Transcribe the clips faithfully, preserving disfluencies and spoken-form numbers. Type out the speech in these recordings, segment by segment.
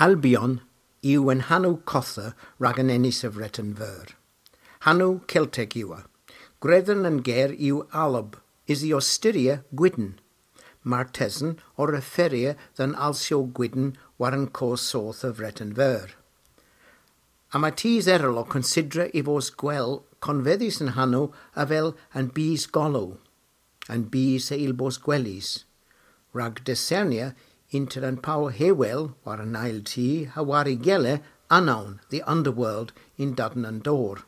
Albion yw an hanow kottha rag an enys a Vreten Veur. Hanow Keltek yw ev. Gredhen an ger yw alb, usi ow styrya gwydn. Martesen o referya dhe'n alsyow gwydn war an koth soth a Vreten Veur. Yma tus erel ow konsidra y vos gwell konvedhys an hanow avel an bys golow, an bys a yll bos gwelys, rag diskernya ynter an pow hewel war an eyl ti ha war y gella anawn, the underworld, yn Dudden an Dor.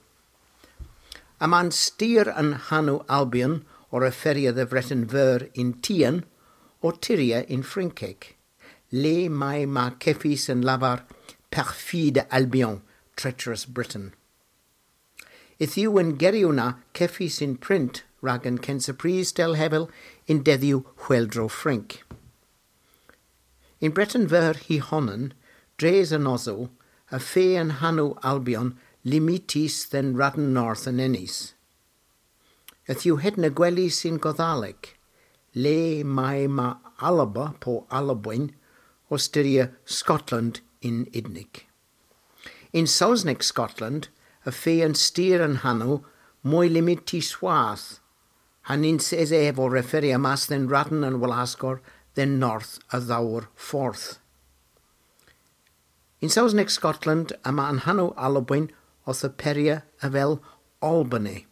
Yma an styr an hanow Albion o referya dhe Vreten Veur yn tien, ow tyrya yn Frynkek, le may ma kevys an lavar Perfide Albion, treacherous Britain. Yth yw an geryow na kevys yn print rag an kynsa prys dell hevel yn dedhyow Hweldro Frynk. Yn Breten Veur hy honan, dres an osow, y feu an hanow Albion limitys dhe'n radn north an enys. Yth yw hedna gwelys yn Godhalek, le may ma Alba po Alabwen ow styrya Scotland yn Udnik. Yn Sowsnek Scotland, y feu an styr an hanow moy limitys hwath, ha nyns esa ev ow referya mas dhe'n radn an wlaskor dhe'n north a dhowr fordh. Yn Sowsnek Scotland yma an hanow Alabwen owth aperya avel Albany.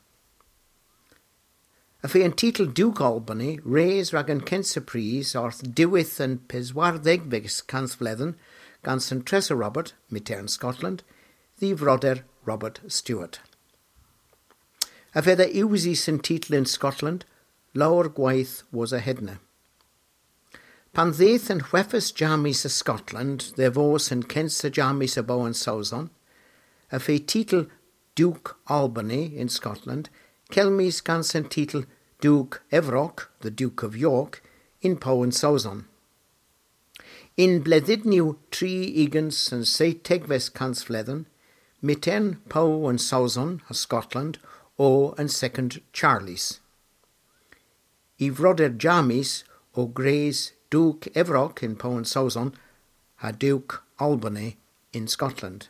Y feu an titel Duk Albany res rag an kynsa prys orth diwedh an peswardhegves kansvledhen gans an tressa Robert, myghtern Scotland, dh'y vroder Robert Stewart. Y fedha usys an titel yn Scotland lowr gweyth wosa hedna. Pan dheuth an hwefas Jammys a Scotland dhe vos an kynsa Jammys a Bow an Sowson, y feu titel Duk Albany yn Scotland kelmys gans an titel Duk Evrok, the Duke of York, yn Pow an Sowson. Yn bledhynyow tri ugens an seytegves kansvledhen, myghtern Pow an Sowson a Scotland o an Second Charles. Y vroder Jammys o gwrys Duk Evrok yn Pow an Sowson ha Duk Albany yn Scotland.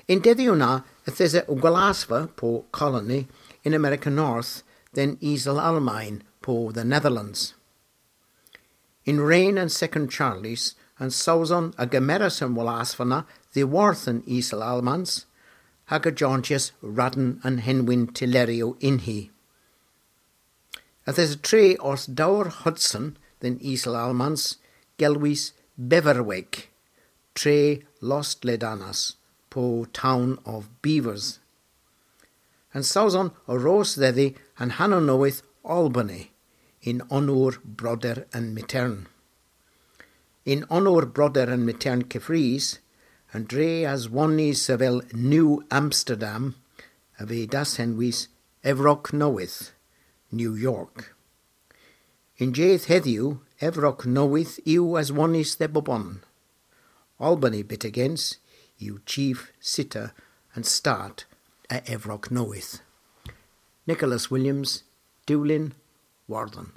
Y'n dedhyow na yth esa gwlasva po colony yn Amerika North dhe'n Isel Almayn po the Netherlands. Yn ren an Second Charles, an Sowson a gemeras an wlasva na dhyworth an Isel Almans, hag a jonjyas radn an henwyn tylleryow ynni. Yth esa tre orth dowr Hudson dhe'n Isel Almans, gelwys Beverwijk, tre lostledanas, po Town of Beavers. An Sowson a ros dhedhi an hanow nowydh Albany, yn ownor broder an myghtern. Yn ownor broder an myghtern keffrys, an dre aswonnys avel New Amsterdam a veu dashenwys Evrok Nowydh, New York. Y'n jydh hedhyw, Evrok Nowydh yw aswonnys dhe bobon. Albany byttegyns yw chief city an stat a Evrok Nowydh. Nicholas Williams, Dulyn, Wardhen.